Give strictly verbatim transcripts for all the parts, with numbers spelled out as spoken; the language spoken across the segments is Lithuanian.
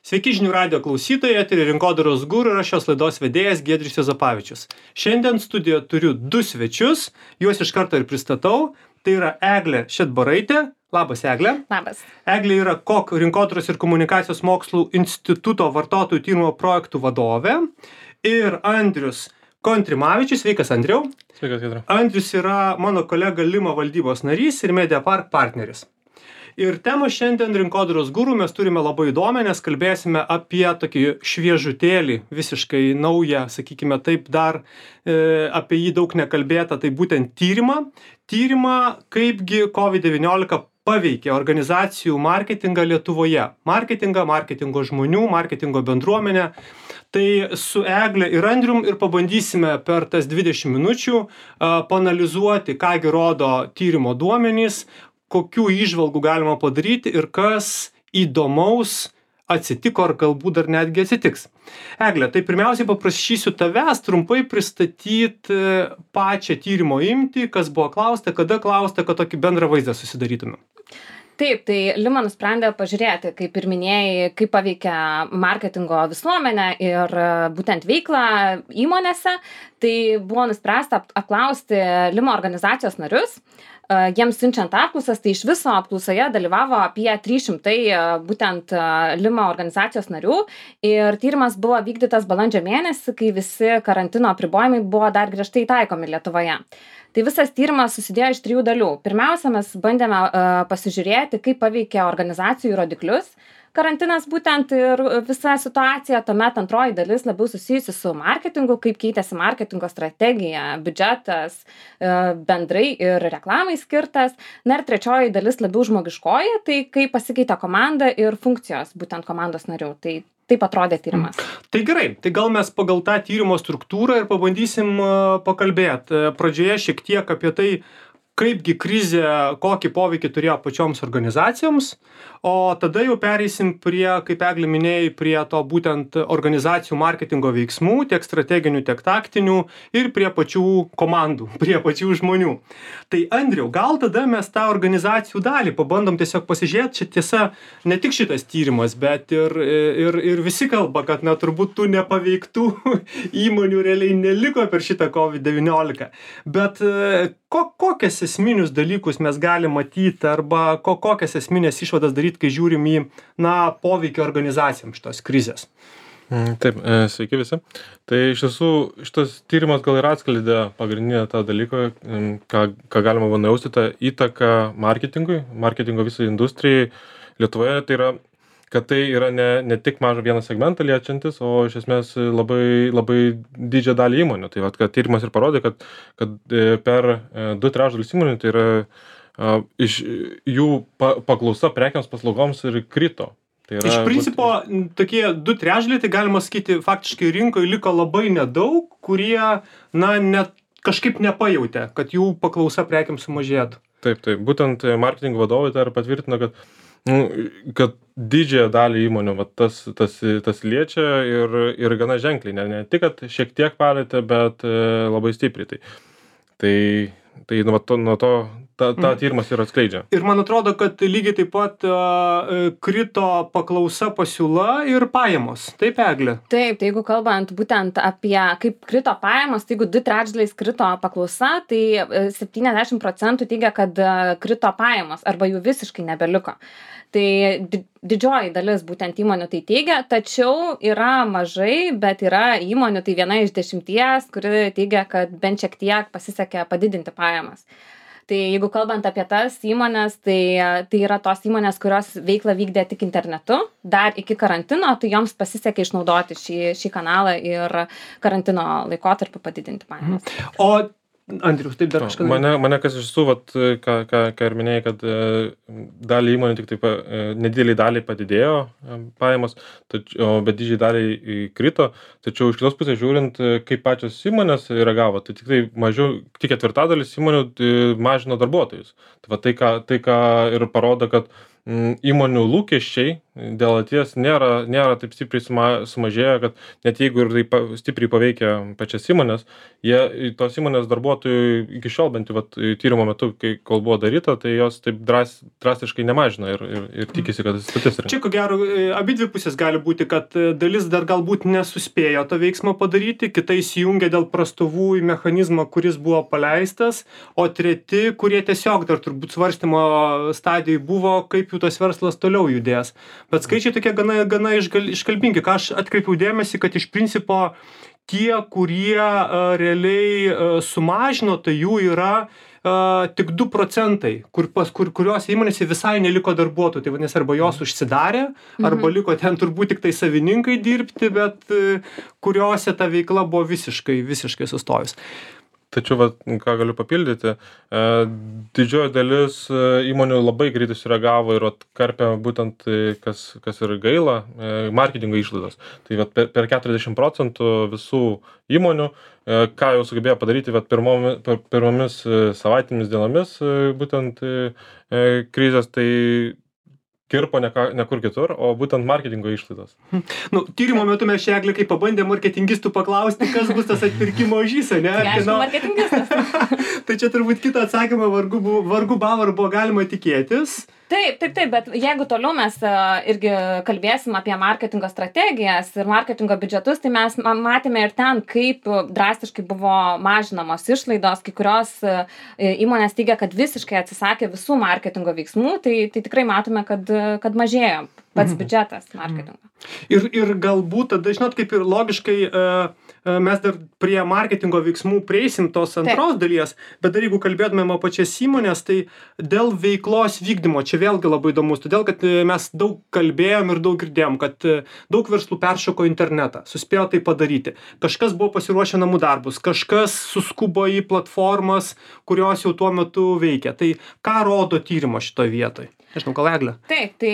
Sveiki žinių radijo klausytojai, eteryje Rinkodaros guru ir aš šios laidos vedėjas Giedrius Juozapavičius. Šiandien studijoje turiu du svečius, juos iš karto ir pristatau. Tai yra Eglė Šedbaraitė. Labas, Eglė. Labas. Eglė yra K O K Rinkodaros ir komunikacijos mokslų instituto vartotojų tyrimo projektų vadovė. Ir Andrius Kontrimavičius. Sveikas, Andriau. Sveikas, Giedriau. Andrius yra mano kolega Lima valdybos narys ir Mediapark partneris. Ir temą šiandien Rinkodaros guru mes turime labai įdomią, nes kalbėsime apie tokį šviežutėlį, visiškai naują, sakykime taip, dar e, apie jį daug nekalbėta, tai būtent tyrimą. Tyrimą, kaipgi COVID devyniolika paveikė organizacijų marketingą Lietuvoje. Marketingą, marketingo žmonių, marketingo bendruomenę. Tai su Egle ir Andrium ir pabandysime per tas dvidešimt minučių a, paanalizuoti, kągi rodo tyrimo duomenys, kokių įžvalgų galima padaryti ir kas įdomaus atsitiko ar galbūt dar netgi atsitiks. Egle, tai pirmiausiai paprašysiu tavęs trumpai pristatyti pačią tyrimo imtį, kas buvo klausta, kada klausta, kad tokį bendrą vaizdą susidarytume. Taip, tai Lima nusprendė pažiūrėti, kaip ir minėjai, kaip paveikia marketingo visuomenę ir būtent veiklą įmonėse. Tai buvo nuspręsta apklausti Lima organizacijos narius. Jiems siunčiant apklausas, tai iš viso apklausoje dalyvavo apie trys šimtai būtent Lima organizacijos narių ir tyrimas buvo vykdytas balandžio mėnesį, kai visi karantino apribojimai buvo dar griežtai taikomi Lietuvoje. Tai visas tyrimas susidėjo iš trijų dalių. Pirmiausia, mes bandėme uh, pasižiūrėti, kaip paveikia organizacijų rodiklius karantinas būtent ir visa situacija. Tuomet antroji dalis labiau susijusi su marketingu, kaip keitėsi marketingo strategija, biudžetas, uh, bendrai ir reklamai skirtas. Na ir trečioji dalis labiau žmogiškoji, tai kaip pasikeitė komanda ir funkcijos būtent komandos narių. Tai taip atrodė tyrimas. Tai gerai, tai gal mes pagal tą tyrimo struktūrą ir pabandysim pakalbėti. Pradžioje šiek tiek apie tai, kaipgi krizė, kokį poveikį turėjo pačioms organizacijoms, o tada jau pereisim prie, kaip Eglė minėjai, prie to būtent organizacijų marketingo veiksmų, tiek strateginių, tiek taktinių ir prie pačių komandų, prie pačių žmonių. Tai Andriau, gal tada mes tą organizacijų dalį pabandom tiesiog pasižiūrėti, čia tiesa, ne tik šitas tyrimas, bet ir, ir, ir visi kalba, kad na, turbūt tų nepaveiktų įmonių realiai neliko per šitą COVID devyniolika. Bet ko, kokias esminius dalykus mes galim matyti arba ko, kokias esminės išvadas daryti, kai žiūrim į na, poveikį organizacijams šitos krizės? Taip, sveiki visi. Tai iš tiesų šitas tyrimas gal ir atskleidė pagrindinę tą dalyką, ką, ką galima nujausti, tą įtaką marketingui, marketingo visai industrijai Lietuvoje. Tai yra, kad tai yra ne, ne tik mažą vieną segmentą liečiantis, o iš esmės labai, labai didžią dalį įmonių. Tai vat, kad tyrimas ir parodė, kad, kad per du trečdalius įmonių, tai yra uh, iš jų pa, paklausa prekiams paslaugoms ir krito. Tai yra, iš principo, būt... tokie du trečdaliai, tai galima sakyti, faktiškai rinkoje liko labai nedaug, kurie na, net kažkaip nepajautė, kad jų paklausa prekiams sumažėtų. Taip, taip. Būtent marketingo vadovai tai patvirtina, kad kad didžiąją dalį įmonių va, tas, tas, tas liečia ir, ir gana ženkliai, ne, ne tik, kad šiek tiek palietė, bet e, labai stipriai. Tai, tai, tai nuo to, nuo to ta, ta tyrimas ir atskleidžia. Ir man atrodo, kad lygiai taip pat uh, krito paklausa, pasiūla ir pajamos. Taip, Eglė? Taip, tai jeigu kalbant būtent apie kaip krito pajamos, tai jeigu du trečdaliais krito paklausa, tai septyniasdešimt procentų teigia, kad krito pajamos arba jų visiškai nebeliko. Tai didžioji dalis būtent įmonių tai teigia, tačiau yra mažai, bet yra įmonių, tai viena iš dešimties, kuri teigia, kad bent šiek tiek pasisekė padidinti pajamas. Tai jeigu kalbant apie tas įmonės, tai, tai yra tos įmonės, kurios veiklą vykdė tik internetu, dar iki karantino, tai joms pasisekė išnaudoti šį, šį kanalą ir karantino laikotarpį padidinti pajamas. O Andrius, taip dar kažką. Mane, mane kas iš su, vat, ką, ką, ką ir minėjai, kad e, dalį įmonių tik taip, e, nedėliai daliai padidėjo e, pajamos, tačiau, bet didžiai daliai krito, tačiau iš kitos pusės žiūrint, kaip pačios įmonės reagavo, tai tik tai mažiau, tik ketvirtadalis įmonių e, mažino darbuotojus. Tai, va, tai, ką, tai ką ir parodo, kad įmonių lūkesčiai dėl ateities nėra, nėra taip stipriai suma, sumažėję, kad net jeigu ir tai pa, stipriai paveikia pačias įmonės, jie, tos įmonės darbuotojų iki šiol bent jau vat, tyrimo metu, kai kol buvo daryta, tai jos taip dras, drastiškai nemažina ir, ir, ir tikisi, kad atsistatys. Čia ko gero, abi dvi pusės gali būti, kad dalis dar galbūt nesuspėjo to veiksmo padaryti, kitai įsijungia dėl prastovų į mechanizmą, kuris buvo paleistas, o treti, kurie tiesiog dar turbūt svarstymo stadijai buvo, kaip jų tas verslas toliau judės. Bet skaičiai tokie gana, gana išgal, iškalbingi, ką aš atkreipiau dėmesį, kad iš principo tie, kurie uh, realiai uh, sumažino, tai jų yra uh, tik du procentai, kur, pas, kur, kurios įmonėse visai neliko darbuotojų. Tai vadinasi, arba jos užsidarė, arba mhm. liko ten turbūt tik tai savininkai dirbti, bet uh, kuriuose ta veikla buvo visiškai, visiškai sustojus. Tačiau, vat, ką galiu papildyti, e, didžioji dalis įmonių labai greitai sureagavo ir atkarpė būtent, kas, kas ir gaila, e, marketingo išlaidos. Tai vat, per, per keturiasdešimt procentų visų įmonių, e, ką jau sugebėjo padaryti vat, pirmomis, per, pirmomis savaitėmis dienomis, e, būtent e, krizės, tai kirpo ne, ką, ne kur kitur, o būtent marketingo išlaidos. Nu, tyrimo metu mes čia, Eglė, kai pabandė marketingistų paklausti, kas bus tas atpirkimo ožys, ne? Tai aišku, marketingistas. Tai čia turbūt kitą atsakymą vargu, vargu bavą buvo galima tikėtis. Taip, taip, taip, bet jeigu toliau mes uh, irgi kalbėsim apie marketingo strategijas ir marketingo biudžetus, tai mes matėme ir ten, kaip drastiškai buvo mažinamos išlaidos, kai kurios uh, įmonės teigia, kad visiškai atsisakė visų marketingo veiksmų, tai, tai tikrai matome, kad, kad mažėjo pats mhm. biudžetas marketingo. Ir, ir galbūt tada, žinot, kaip ir logiškai uh, mes dar prie marketingo veiksmų prieisim tos antros Taip. Dalies, bet dar jeigu kalbėtumėm apie pačias įmonės, tai dėl veiklos vykdymo, čia vėlgi labai įdomus, todėl kad mes daug kalbėjom ir daug girdėjom, kad daug verslų peršoko internetą, suspėjo tai padaryti. Kažkas buvo pasiruošę namų darbus, kažkas suskubo į platformas, kurios jau tuo metu veikia. Tai ką rodo tyrimo šitoje vietoje? Nežinau, gal Eglė? Taip, tai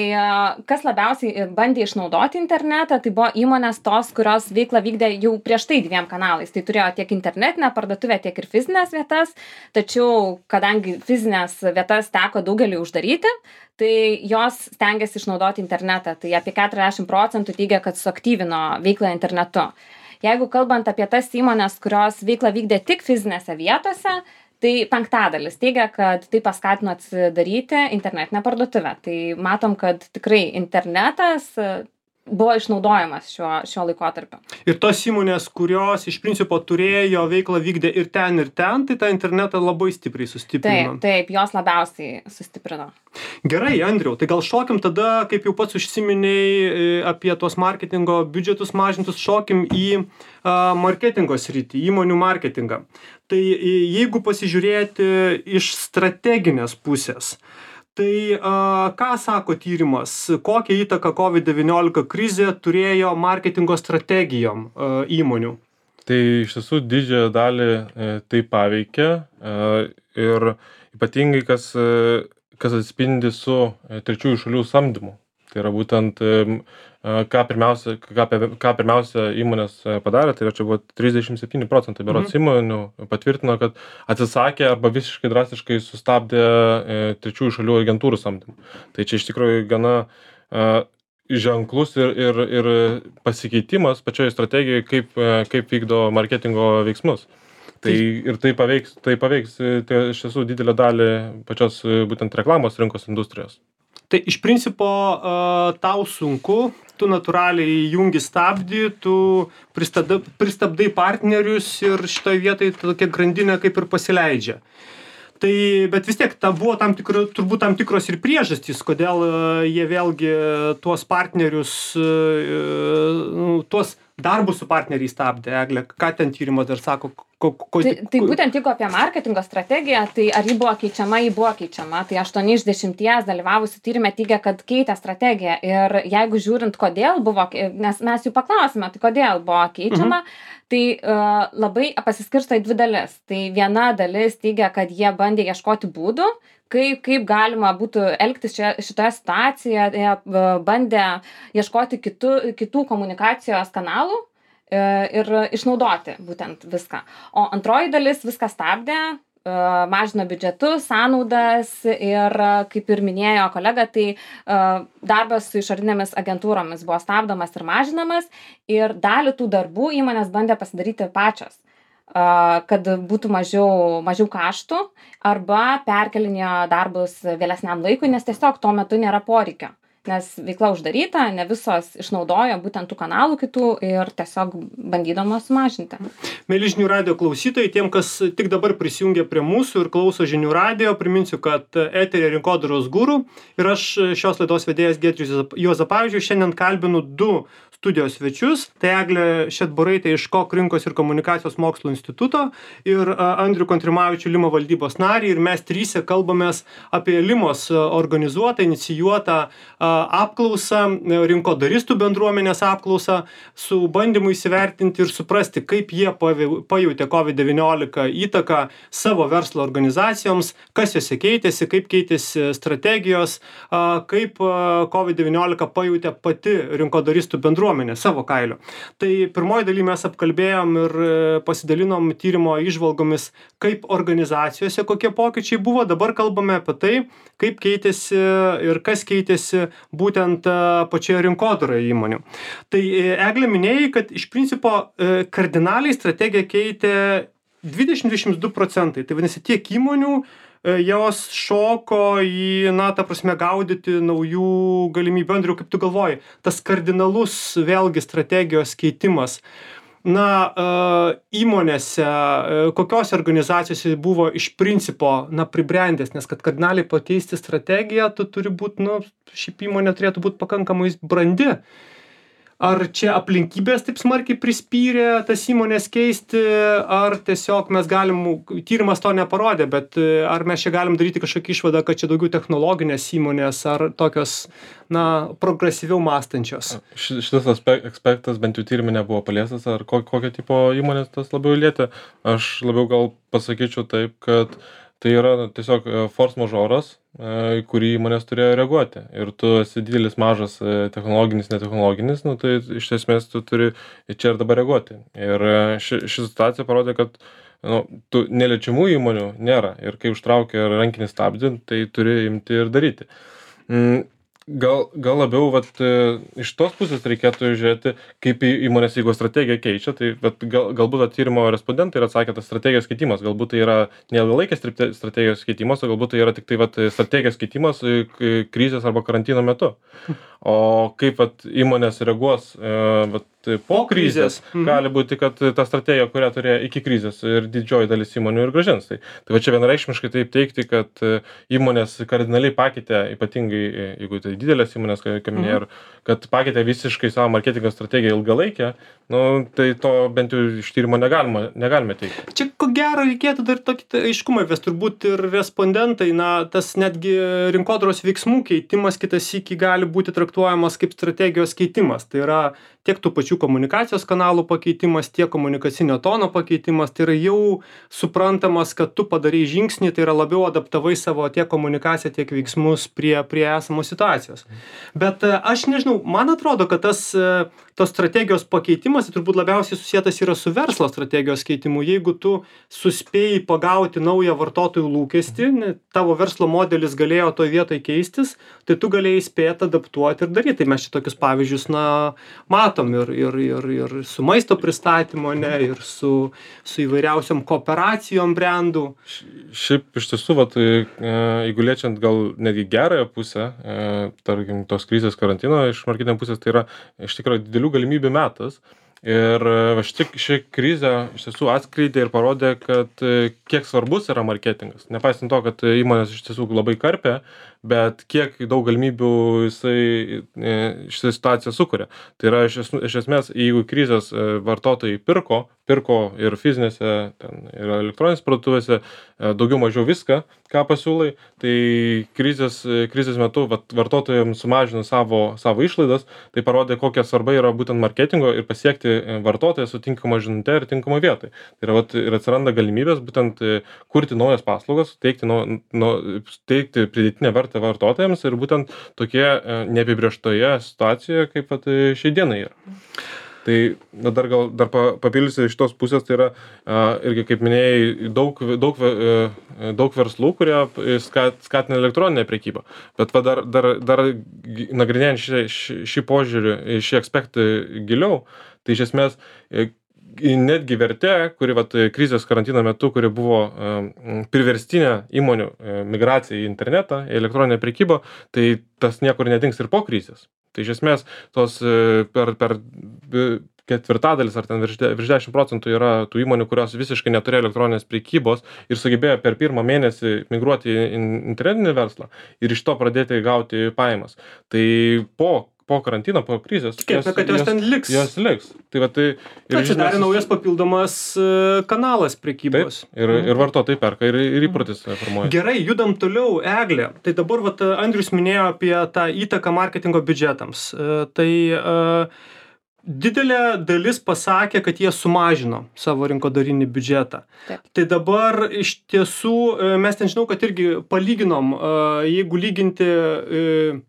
kas labiausiai bandė išnaudoti internetą, tai buvo įmonės tos, kurios veiklą vykdė jau prieš tai dviem kanalais. Tai turėjo tiek internetinę parduotuvę, tiek ir fizinės vietas, tačiau kadangi fizinės vietas teko daugeliui uždaryti, tai jos stengiasi išnaudoti internetą. Tai apie keturiasdešimt procentų teigia, kad suaktyvino veiklą internetu. Jeigu kalbant apie tas įmonės, kurios veiklą vykdė tik fizinėse vietose, tai penktadalis teigia, kad tai paskatino atsidaryti internetinę parduotuvę. Tai matom, kad tikrai internetas buvo išnaudojamas šiuo, šiuo laikotarpiu. Ir tos įmonės, kurios iš principo turėjo veiklą vykdė ir ten, ir ten, tai tą internetą labai stipriai sustiprino. Taip, taip, jos labiausiai sustiprino. Gerai, Andriau, tai gal šokim tada, kaip jau pats užsiminėjai apie tos marketingo biudžetus mažintus, šokim į uh, marketingo sritį, įmonių marketingą. Tai jeigu pasižiūrėti iš strateginės pusės, tai a, ką sako tyrimas, kokią įtaką COVID devyniolika krizė turėjo marketingo strategijom a, įmonių? Tai iš tiesų didžiąją dalį e, tai paveikia e, ir ypatingai kas, e, kas atspindi su e, trečiųjų šalių samdymu. Tai yra būtent, e, ką, pirmiausia, ką, ką pirmiausia įmonės padarė, tai yra čia buvo trisdešimt septyni procentai berods mhm. įmonių patvirtino, kad atsisakė arba visiškai drastiškai sustabdė e, trečiųjų šalių agentūrų samdymą. Tai čia iš tikrųjų gana e, ženklus ir, ir, ir pasikeitimas pačioje strategijoje, kaip, e, kaip vykdo marketingo veiksmus. Tai ir tai paveiks, tai paveiks tai iš tiesų didelę dalį pačios būtent reklamos rinkos industrijos. Tai iš principo uh, tau sunku, tu natūraliai jungi stabdį, tu pristabdai, pristabdai partnerius ir šitoje vietoje tokia grandinė kaip ir pasileidžia. Tai, bet vis tiek ta buvo tam tikro, turbūt tam tikros ir priežastys, kodėl uh, jie vėlgi tuos partnerius, uh, tuos darbus su partneriais stabdė. Eglė, ką ten tyrimas dar sako? Ko, ko, tai, tai būtent jeigu apie marketingo strategiją, tai ar ji buvo keičiama, ji buvo keičiama. Tai aštuoni iš dešimties dalyvavusių tyrime teigia, kad keitė strategiją. Ir jeigu žiūrint, kodėl buvo, nes mes jų paklausime, tai kodėl buvo keičiama, mhm. tai uh, labai pasiskirsto į dvi dalis. Tai viena dalis teigia, kad jie bandė ieškoti būdų, kaip, kaip galima būtų elgtis šia, šitoje situacijoje, jie uh, bandė ieškoti kitų, kitų komunikacijos kanalų ir išnaudoti būtent viską. O antroji dalis viską stabdė, mažino biudžetus, sąnaudas ir, kaip ir minėjo kolega, tai darbas su išorinėmis agentūromis buvo stabdomas ir mažinamas ir dalį tų darbų įmonės bandė pasidaryti pačios, kad būtų mažiau, mažiau kaštų arba perkelinėjo darbus vėlesniam laikui, nes tiesiog tuo metu nėra poreikio. Nes veikla uždaryta, ne visos išnaudojo būtent tų kanalų kitų ir tiesiog bandydamos sumažinti. Mėly žinių radijo klausytojai, tiem, kas tik dabar prisijungia prie mūsų ir klauso žinių radijo, priminsiu, kad eteryje Rinkodaros guru ir aš šios laidos vedėjas Giedrius Juozapavičius šiandien kalbinu du studijos svečius, tai Eglė Šedbaraitė iš Kok rinkos ir komunikacijos mokslų instituto ir Andrių Kontrimavičių Lima valdybos narį ir mes tryse kalbamės apie Limos organizuotą, inicijuotą apklausą, rinkodaristų bendruomenės apklausą su bandymu įsivertinti ir suprasti, kaip jie pajautė COVID devyniolika įtaką savo verslo organizacijoms, kas jose keitėsi, kaip keitėsi strategijos, kaip COVID devyniolika pajautė pati rinkodaristų bendruomenė savo kailiu. Tai pirmoji daly mes apkalbėjom ir pasidalinom tyrimo įžvalgomis, kaip organizacijose kokie pokyčiai buvo. Dabar kalbame apie tai, kaip keitėsi ir kas keitėsi būtent pačioje rinkodaroje įmonių. Tai Eglė minėjai, kad iš principo kardinaliai strategiją keitė dvidešimt dvidešimt du procentai. Tai vadinasi, tiek įmonių jos šoko į, na, ta prasme, gaudyti naujų galimybių. Andriau, kaip tu galvoji, tas kardinalus vėlgi strategijos keitimas, na, įmonėse, kokios organizacijose buvo iš principo, na, pribrendęs, nes kad kardinaliai pakeisti strategiją, tu turi būti, nu, šiaip įmonė turėtų būti pakankamai brandi. Ar čia aplinkybės taip smarkiai prispyrė tas įmonės keisti, ar tiesiog mes galim, tyrimas to neparodė, bet ar mes čia galim daryti kažkokį išvadą, kad čia daugiau technologinės įmonės, ar tokios, na, progresyviau mąstančios? Šitas aspektas bent jau tyrimė nebuvo paliestas, ar kokio tipo įmonės tas labiau lietė. Aš labiau gal pasakyčiau taip, kad tai yra tiesiog force majoras, į kurį įmonės turėjo reaguoti. Ir tu esi didelis, mažas, technologinis, netechnologinis, nu, tai iš esmės tu turi čia ir dabar reaguoti. Ir ši, ši situacija parodė, kad nu, tu neliečiamų įmonių nėra. Ir kai užtraukia rankinį stabdį, tai turi imti ir daryti. Mm. Gal, gal labiau vat, iš tos pusės reikėtų žiūrėti, kaip įmonės, jeigu strategiją keičia, tai vat, gal, galbūt vat, tyrimo respondentai yra atsakę tas strategijos keitimas, galbūt tai yra neilgalaikės strategijos keitimas, o galbūt tai yra tik tai vat, strategijos keitimas krizės arba karantino metu. O kaip vat, įmonės reaguos vat, po krizės, mhm. gali būti, kad ta strategija, kurią turėjo iki krizės ir didžioji dalis įmonių ir grąžins. Tai, tai va čia vienareikšmiškai taip teikti, kad įmonės kardinaliai pakeitė, ypatingai, jeigu tai didelės įmonės, kaip minėjau, mhm. kad pakeitė visiškai savo marketingo strategiją ilgalaikę, nu, tai to bent jau iš tyrimo negalima, negalime teikti. Čia ko gero reikėtų dar tokį aiškumą įvesti, turbūt ir respondentai, na, tas netgi rinkodaros veiksmų keitimas kitas sykį gali būti traktuojamas kaip strategijos keitimas. Tai yra tiek tų pačių komunikacijos kanalų pakeitimas, tiek komunikacinio tono pakeitimas, tai yra jau suprantamas, kad tu padarai žingsnį, tai yra labiau adaptavai savo tiek komunikaciją, tiek veiksmus prie, prie esamos situacijos. Bet aš nežinau, man atrodo, kad tas tos strategijos pakeitimas tai turbūt labiausiai susietas yra su verslo strategijos keitimu. Jeigu tu suspėjai pagauti naują vartotojų lūkestį, tavo verslo modelis galėjo toj vietoj keistis, tai tu galėjai spėti adaptuoti ir daryti. Tai mes čia tokius pavyzdžius, na, matom ir, ir, ir, ir su maisto pristatymo, ne, ir su, su įvairiausiom kooperacijom brandų. Šiaip iš tiesų, vat, jeigu liečiant gal netgi gerąją pusę, tarkim, tos krizės karantino iš marketingo pusės, tai yra iš tikrųjų didelių galimybių metas. Ir va ši, ši krizė iš tiesų atskleidė ir parodė, kad kiek svarbus yra marketingas. Nepaisant to, kad įmonės iš tiesų labai karpė, bet kiek daug galimybių jisai šitą situaciją sukuria. Tai yra iš, iš esmės, jeigu krizės vartotojai pirko, pirko ir fizinėse, ten, ir elektroninės parduotuvėse, daugiau mažiau viską, ką pasiūlai, tai krizės, krizės metu vat, vartotojams sumažino savo, savo išlaidas, tai parodė, kokia svarba yra būtent marketingo ir pasiekti vartotoją su tinkama žinute ir tinkama vietoj. Tai yra, vat, ir atsiranda galimybės būtent kurti naujas paslaugas, teikti, nu, nu, teikti pridėtinę vertę vartotojams ir būtent tokie neapibrėžtoje situacijoje, kaip vat, šiai dienai yra. Tai na, dar gal dar pa, papildysiu iš tos pusės, tai yra a, irgi, kaip minėjai, daug, daug, e, daug verslų, kurie skat, skatina elektroninę prekybą. Bet va, dar, dar, dar nagrinėjant šį, šį, šį požiūrį, šį aspektą giliau, tai iš esmės e, netgi vertė, kuri vat, krizės karantino metu, kuri buvo e, priverstinė įmonių e, migracija į internetą, į elektroninę prekybą, tai tas niekur nedings ir po krizės. Tai iš esmės tos e, per, per ketvirtadalis ar ten virš, virš dešimt procentų yra tų įmonių, kurios visiškai neturėjo elektroninės prekybos ir sugebėjo per pirmą mėnesį migruoti į internetinį verslą ir iš to pradėti gauti pajamas. Tai po po karantino, po krizės. Tikėtina, kad jos, jos ten liks. Jos liks. Tai va, tai ir atsidarė naujas papildomas kanalas prekybos. Taip, ir, ir vartotojai perka, ir, ir įprotis formuoja. Gerai, judam toliau, Eglė. Tai dabar vat, Andrius minėjo apie tą įtaką marketingo biudžetams. Tai uh, didelė dalis pasakė, kad jie sumažino savo rinkodarinį biudžetą. Taip. Tai dabar iš tiesų mes ten žinau, kad irgi palyginom, uh, jeigu lyginti uh,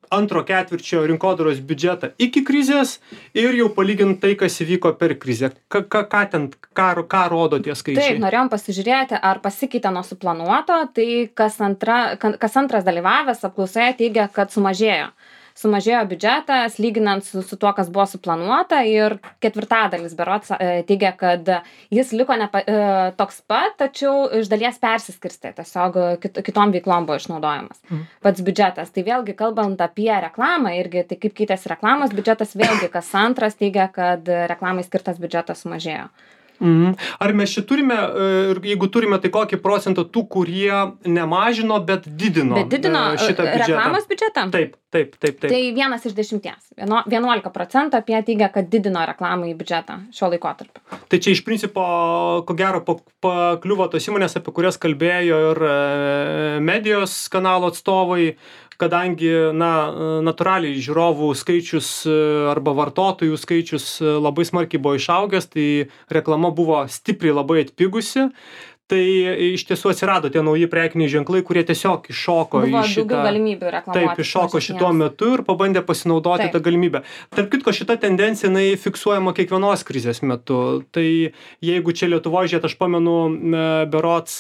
antro ketvirčio rinkodaros biudžetą iki krizės ir jau palygint tai, kas įvyko per krizę. Ką, ką, ką ten, ką, ką rodo tie skaičiai? Taip, norėjom pasižiūrėti, ar pasikeitė nuo suplanuoto, tai kas, antra, kas antras dalyvavęs apklausoje teigia, kad sumažėjo. Sumažėjo biudžetas, lyginant su, su tuo, kas buvo suplanuota, ir ketvirtadalis berods teigia, kad jis liko nepa, toks pat, tačiau iš dalies persiskirstė, tiesiog kit, kitom veiklom buvo išnaudojamas mm. pats biudžetas. Tai vėlgi, kalbant apie reklamą, irgi, tai kaip keitėsi reklamos biudžetas, vėlgi kas antras teigia, kad reklamai skirtas biudžetas sumažėjo. Mhm. Ar mes čia turime, jeigu turime, tai kokį procentą tų, kurie nemažino, bet didino, bet didino šitą biudžetą? Reklamos biudžetą? Taip, taip, taip, taip. Tai vienas iš dešimties. vienuolika procentų apie teigia, kad didino reklamą į biudžetą šiuo laikotarpiu. Tai čia iš principo, ko gero, pakliuvo tos įmonės, apie kurias kalbėjo ir medijos kanalo atstovai, kadangi, na, natūraliai žiūrovų skaičius arba vartotojų skaičius labai smarkiai buvo išaugęs, tai reklama buvo stipriai labai atpigusi. Tai iš tiesų atsirado tie nauji prekiniai ženklai, kurie tiesiog iššoko buvo į šitą... daugiau galimybių reklamuoti. Taip, iššoko šituo metu ir pabandė pasinaudoti taip. Tą galimybę. Tarp kitko, šita tendencija, jinai fiksuojama kiekvienos krizės metu. Tai jeigu čia Lietuvoje, žiūrėt, aš pamenu, berods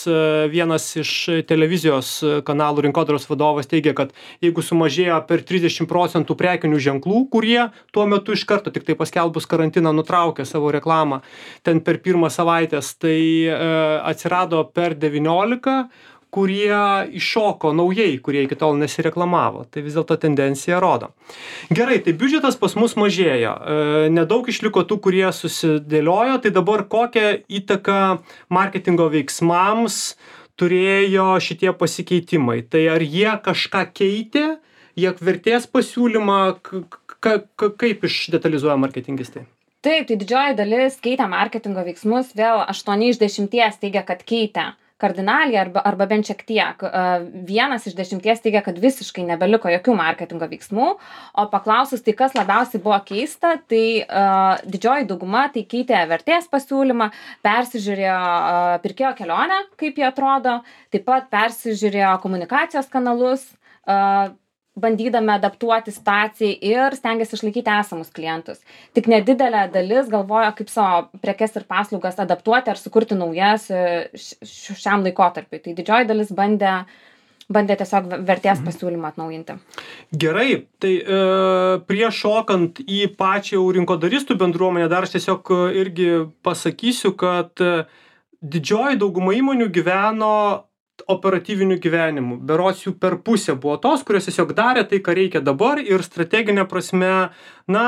vienas iš televizijos kanalų rinkodaros vadovas teigia, kad jeigu sumažėjo per trisdešimt procentų prekinių ženklų, kurie tuo metu iš karto tik tai paskelbus karantiną nutraukė savo reklamą ten per pirmą savaitės, tai atsirado per devyniolika, kurie iššoko naujai, kurie iki tol nesireklamavo. Tai vis dėlto tendencija rodo. Gerai, tai biudžetas pas mus mažėjo. Nedaug išliko tų, kurie susidėliojo. Tai dabar kokią įtaką marketingo veiksmams turėjo šitie pasikeitimai? Tai ar jie kažką keitė, jie vertės pasiūlymą, kaip išdetalizuoja marketingistai? Taip, tai didžioji dalis keitė marketingo veiksmus, vėl aštuoni iš dešimties teigia, kad keitė kardinaliai arba, arba bent šiek tiek. Vienas iš dešimties teigia, kad visiškai nebeliko jokių marketingo veiksmų, o paklausus, tai kas labiausiai buvo keista, tai uh, didžioji dauguma tai keitė vertės pasiūlymą, persižiūrėjo uh, pirkėjo kelionę, kaip jie atrodo, taip pat persižiūrėjo komunikacijos kanalus, uh, bandydami adaptuoti situacijai ir stengiasi išlaikyti esamus klientus. Tik nedidelė dalis galvoja, kaip savo prekes ir paslaugas adaptuoti ar sukurti naujas šiam laikotarpiui. Tai didžioji dalis bandė, bandė tiesiog vertės pasiūlymą atnaujinti. Gerai, tai e, prieš šokant į pačią rinkodaristų bendruomenę, dar aš tiesiog irgi pasakysiu, kad didžioji dauguma įmonių gyveno operatyviniu gyvenimu. Berods jų per pusę buvo tos, kurios tiesiog darė tai, ką reikia dabar ir strateginė prasme, na,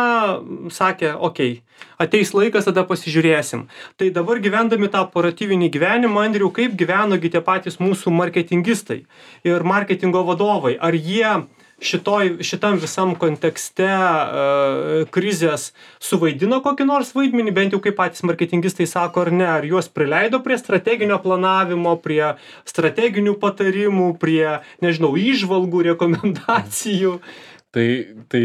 sakė, okei, okay, ateis laikas, tada pasižiūrėsim. Tai dabar gyvendami tą operatyvinį gyvenimą, Andriau, kaip gyvenogi tie patys mūsų marketingistai ir marketingo vadovai? Ar jie šitoj, šitam visam kontekste uh, krizės suvaidino kokį nors vaidmenį, bent jau kaip patys marketingistai sako, ar ne, ar juos prileido prie strateginio planavimo, prie strateginių patarimų, prie, nežinau, įžvalgų, rekomendacijų? Tai, tai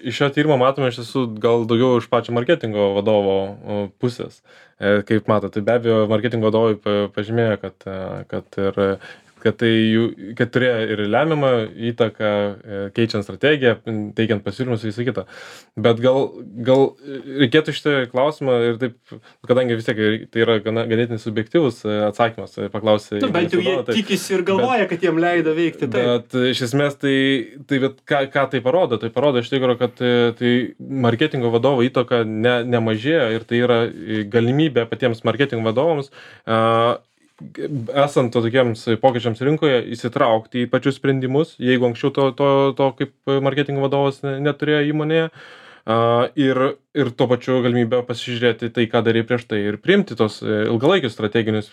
iš šio tyrimo matome iš tiesų gal daugiau iš pačio marketingo vadovo pusės. Kaip matote, tai be abejo marketingo vadovai pažymėjo, kad, kad ir kad tai jų, kad turėjo ir lemiamą įtaką, keičiant strategiją, teikiant pasiūlymus ir visą kitą. Bet gal, gal reikėtų šitą klausimą ir taip, kadangi vis tiek tai yra gana, ganėtinai subjektyvus atsakymas, paklausė. Nu, bent jau jie tai, tikisi ir galvoja, bet, kad jiem leido veikti. Taip. Bet iš esmės tai, tai bet, ką, ką tai parodo? Tai parodo iš tikrųjų, kad tai marketingo vadovo įtaka ne, nemažėja ir tai yra galimybė patiems marketingo vadovams uh, esant to tokiems pokyčiams rinkoje įsitraukti į pačius sprendimus, jeigu anksčiau to, to, to kaip marketingo vadovas neturėjo įmonėje uh, ir, ir tuo pačiu galimybę pasižiūrėti tai, ką darė prieš tai ir priimti tos ilgalaikius strateginius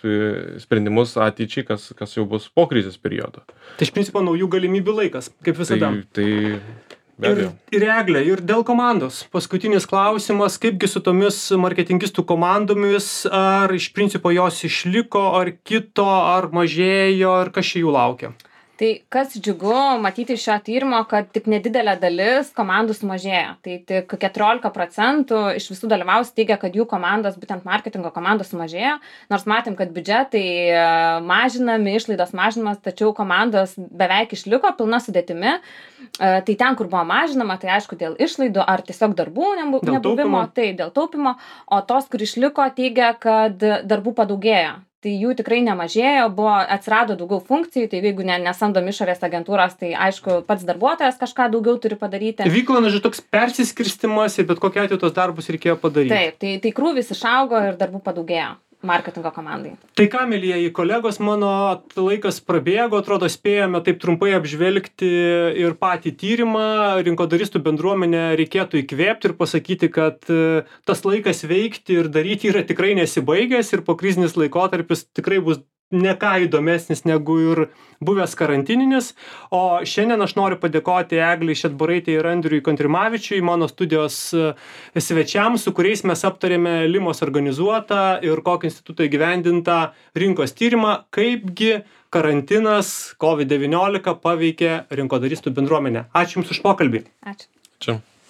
sprendimus ateičiai, kas, kas jau bus po krizės periodo. Tai iš principo naujų galimybių laikas, kaip visada. Tai, tai Ir, ir Eglė, ir dėl komandos. Paskutinis klausimas, kaipgi su tomis marketingistų komandomis, ar iš principo jos išliko, ar kito, ar mažėjo, ar kas čia jų laukia? Tai kas džiugu matyti iš šio tyrimo, kad tik nedidelė dalis komandų sumažėjo. Tai tik keturiolika procentų iš visų dalyvavusių teigia, kad jų komandos, būtent marketingo komandos sumažėjo. Nors matėm, kad biudžetai mažinami, išlaidos mažinamas, tačiau komandos beveik išliko pilna sudėtimi. Tai ten, kur buvo mažinama, tai aišku dėl išlaidų ar tiesiog darbų nebuvimo, tai dėl taupimo. O tos, kur išliko, teigia, kad darbų padaugėjo. Tai jų tikrai nemažėjo, buvo, atsirado daugiau funkcijų, tai jeigu ne, nesamdom išorės agentūros, tai aišku, pats darbuotojas kažką daugiau turi padaryti. Vyko, na, žinai, toks persiskirstimas ir bet kokiu atveju tos darbus reikėjo padaryti. Taip, tai, tai krūvis išaugo ir darbų padaugėjo marketingo komandai. Tai ką, mielieji kolegos, mano laikas prabėgo, atrodo, spėjome taip trumpai apžvelgti ir patį tyrimą, rinkodaristų bendruomenę reikėtų įkvėpti ir pasakyti, kad tas laikas veikti ir daryti yra tikrai nesibaigęs ir po krizinis laikotarpis tikrai bus ne ką įdomesnis negu ir buvęs karantininis. O šiandien aš noriu padėkoti Eglei Šedbarytei ir Andriui Kontrimavičiui, mano studijos svečiams, su kuriais mes aptarėme Limos organizuotą ir kokį institutą įgyvendintą rinkos tyrimą, kaipgi karantinas COVID devyniolika paveikė rinkodaristų bendruomenę. Ačiū Jums už pokalbį. Ačiū. Čia.